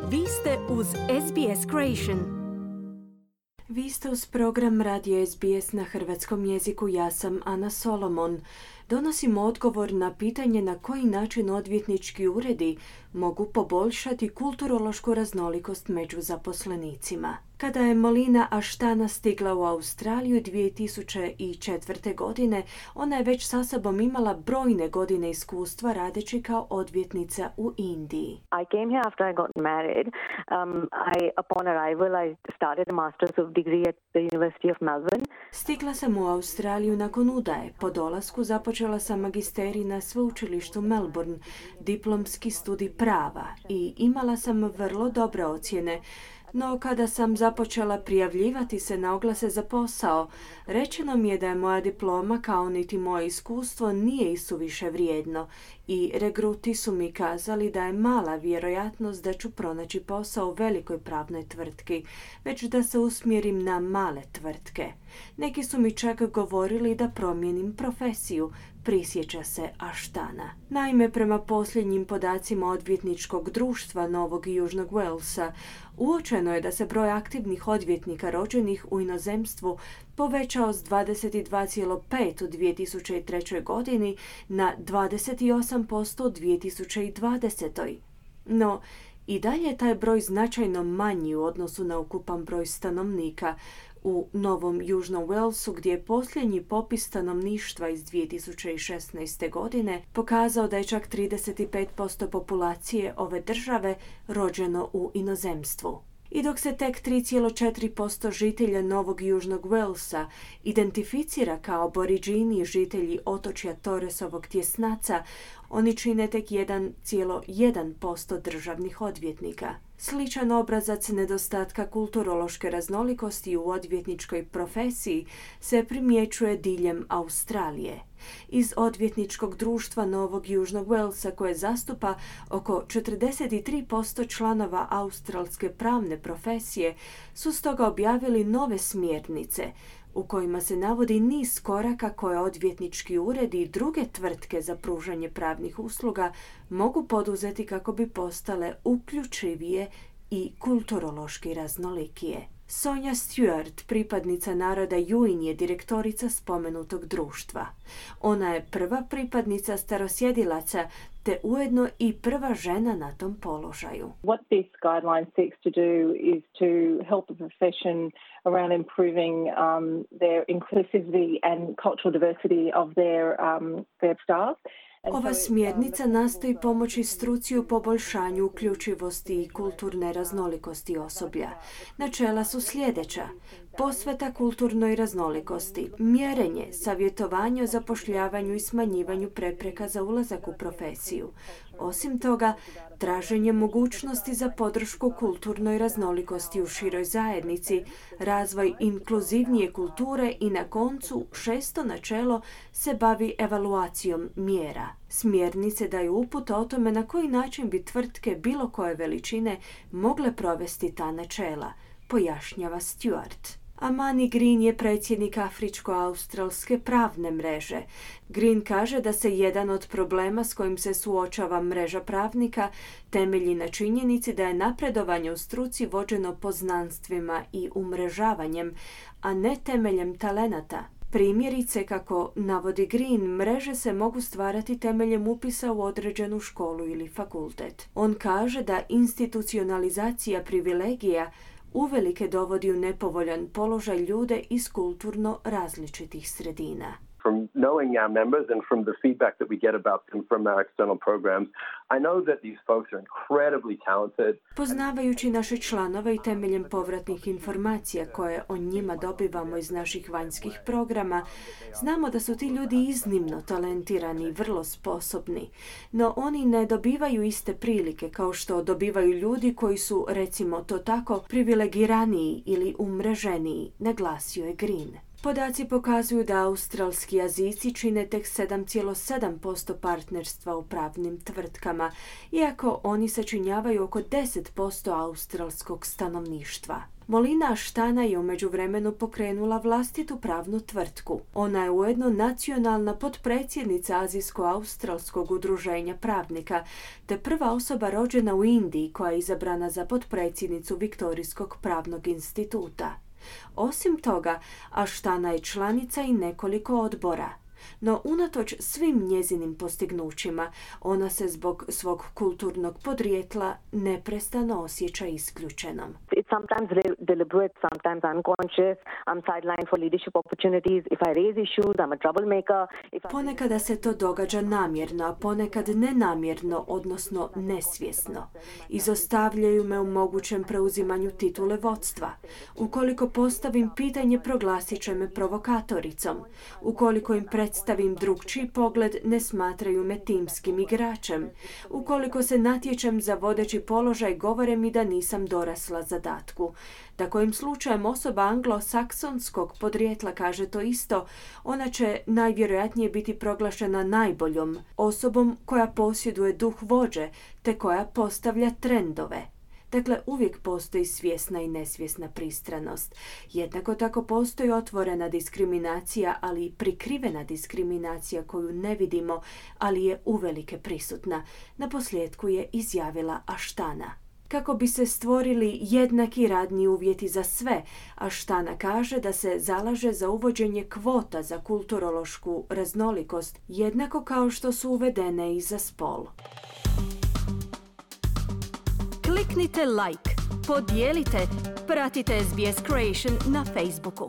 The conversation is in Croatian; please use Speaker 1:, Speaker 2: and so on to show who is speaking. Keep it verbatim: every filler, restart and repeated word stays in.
Speaker 1: Vi ste uz S B S Creation. Vi ste uz program Radio S B S na hrvatskom jeziku. Ja sam Ana Solomon. Donosimo odgovor na pitanje na koji način odvjetnički uredi mogu poboljšati kulturološku raznolikost među zaposlenicima. Kada je Molina Ashtana stigla u Australiju dvije tisuće četvrte. godine, ona je već sa sobom imala brojne godine iskustva radeći kao odvjetnica u Indiji.
Speaker 2: I came here after I got married. Um, I, upon arrival, I started a master's of degree at the University of Melbourne.
Speaker 1: Stigla sam u Australiju nakon udaje. Po dolasku započela sam magisterij na sveučilištu Melbourne, diplomski studij prava, i imala sam vrlo dobre ocjene. No kada sam započela prijavljivati se na oglase za posao, rečeno mi je da je moja diploma kao niti moje iskustvo nije isuviše vrijedno i regruti su mi kazali da je mala vjerojatnost da ću pronaći posao u velikoj pravnoj tvrtki, već da se usmjerim na male tvrtke. Neki su mi čak govorili da promijenim profesiju, prisjeća se Ashtana. Naime, prema posljednjim podacima odvjetničkog društva Novog i Južnog Walesa, uočeno je da se broj aktivnih odvjetnika rođenih u inozemstvu povećao s dvadeset dva zarez pet u dvije tisuće trećoj. godini na dvadeset osam posto u dvije tisuće dvadesetoj. No, i dalje je taj broj značajno manji u odnosu na ukupan broj stanovnika. U Novom Južnom Walesu, gdje je posljednji popis stanovništva iz dvije tisuće šesnaeste. godine pokazao da je čak trideset pet posto populacije ove države rođeno u inozemstvu. I dok se tek tri zarez četiri posto žitelja Novog Južnog Walesa identificira kao aboriđini žitelji otočja Torresovog tjesnaca, oni čine tek jedan zarez jedan posto državnih odvjetnika. Sličan obrazac nedostatka kulturološke raznolikosti u odvjetničkoj profesiji se primjećuje diljem Australije. Iz odvjetničkog društva Novog Južnog Walesa, koje zastupa oko četrdeset tri posto članova australske pravne profesije, su stoga objavili nove smjernice u kojima se navodi niz koraka koje odvjetnički uredi i druge tvrtke za pružanje pravnih usluga mogu poduzeti kako bi postale uključivije i kulturološki raznolikije. Sonja Stewart, pripadnica naroda Yuin, je direktorica spomenutog društva. Ona je prva pripadnica starosjedilaca te ujedno i prva žena na tom položaju.
Speaker 3: What this guideline seeks to do is to help the profession around improving um, their inclusivity and cultural diversity of their, um, their staff.
Speaker 1: Ova smjernica nastoji pomoći struci u poboljšanju uključivosti i kulturne raznolikosti osoblja. Načela su sljedeća: posveta kulturnoj raznolikosti, mjerenje, savjetovanje o zapošljavanju i smanjivanju prepreka za ulazak u profesiju. Osim toga, traženje mogućnosti za podršku kulturnoj raznolikosti u široj zajednici, razvoj inkluzivnije kulture i na koncu šesto načelo se bavi evaluacijom mjera. Smjernice daju uput o tome na koji način bi tvrtke bilo koje veličine mogle provesti ta načela, pojašnjava Stewart. Amani Green je predsjednik Afričko-australske pravne mreže. Green kaže da se jedan od problema s kojim se suočava mreža pravnika temelji na činjenici da je napredovanje u struci vođeno poznanstvima i umrežavanjem, a ne temeljem talenata. Primjerice, kako navodi Green, mreže se mogu stvarati temeljem upisa u određenu školu ili fakultet. On kaže da institucionalizacija privilegija uvelike dovodi u nepovoljan položaj ljude iz kulturno različitih sredina.
Speaker 4: From knowing our members and from the feedback that we get about them from our external programs, I know that these folks are incredibly talented.
Speaker 1: Poznavajući naše članove i temeljem povratnih informacija koje o njima dobivamo iz naših vanjskih programa, znamo da su ti ljudi iznimno talentirani i vrlo sposobni, no oni ne dobivaju iste prilike kao što dobivaju ljudi koji su, recimo to tako, privilegiraniji ili umreženiji, naglasio je Green. Podaci pokazuju da australski Azijci čine tek sedam zarez sedam posto partnerstva u pravnim tvrtkama, iako oni sačinjavaju oko deset posto australskog stanovništva. Molina Ashtana je u međuvremenu pokrenula vlastitu pravnu tvrtku. Ona je ujedno nacionalna potpredsjednica Azijsko-australskog udruženja pravnika, te prva osoba rođena u Indiji koja je izabrana za potpredsjednicu Viktorijskog pravnog instituta. Osim toga, Ashtana je članica i nekoliko odbora. No unatoč svim njezinim postignućima, ona se zbog svog kulturnog podrijetla neprestano osjeća isključenom.
Speaker 2: It's sometimes deliberate, sometimes unconscious. I'm sidelined for leadership opportunities. If I raise issues, I'm a troublemaker. If I...
Speaker 1: Ponekada se to događa namjerno, a ponekad nenamjerno, odnosno nesvjesno. Izostavljaju me u mogućem preuzimanju titule vodstva. Ukoliko postavim pitanje, proglasit će me provokatoricom. Ukoliko im predstavim drugčiji pogled, ne smatraju me timskim igračem. Ukoliko se natječem za vodeći položaj, govore mi da nisam dorasla zadatku. Da kojim slučajem osoba anglosaksonskog podrijetla kaže to isto, ona će najvjerojatnije biti proglašena najboljom osobom koja posjeduje duh vođe, te koja postavlja trendove. Dakle, uvijek postoji svjesna i nesvjesna pristranost. Jednako tako postoji otvorena diskriminacija, ali i prikrivena diskriminacija koju ne vidimo, ali je uvelike prisutna. Naposljetku je izjavila Ashtana. Kako bi se stvorili jednaki radni uvjeti za sve, Ashtana kaže da se zalaže za uvođenje kvota za kulturološku raznolikost, jednako kao što su uvedene i za spol. Kliknite like, podijelite, pratite S B S Creation na Facebooku.